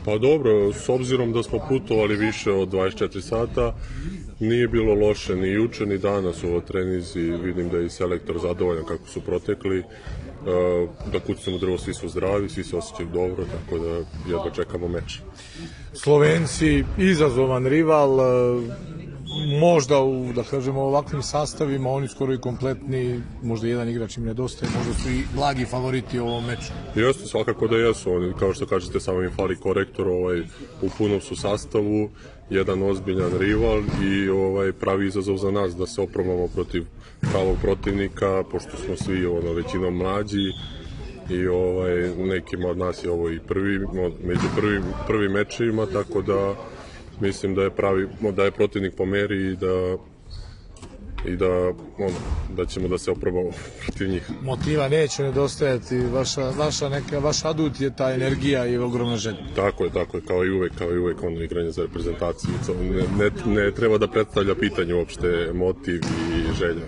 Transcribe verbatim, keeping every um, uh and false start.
Pa dobro, s obzirom da smo putovali više od dvadeset četiri sata, nije bilo loše ni juče ni danas u ovoj trenizi. Vidim da je i selektor zadovoljan kako su protekli, da kucnemo drvo, svi su zdravi, svi se osjećaju dobro, tako da jedva čekamo meč. Slovenci, izazovan rival, možda u, da kažemo, ovakvim sastavima, oni skoro i kompletni, možda jedan igrač im nedostaje, možda su i blagi favoriti u ovom meču. Jeste, svakako da jesu, oni, kao što kažete, samo im fali korektor, ovaj, u punom su sastavu, jedan ozbiljan rival i ovaj, pravi izazov za nas da se oprobamo protiv pravog protivnika, pošto smo svi ono, većinom mlađi i ovaj, nekima od nas je ovo i prvi, među prvim, prvim mečevima, tako da mislim da je pravi, da je protivnik po meri i da i da, ono, da ćemo da se oprobamo protiv njih. Motiva neće nedostajati, vaša, vaša, neka, vaš adut je ta energija i ogromna želja. Tako je, tako je, kao i uvek, kao i uvek ono igranje za reprezentaciju. Ne, ne, ne treba da predstavlja pitanje uopšte motiv i želja.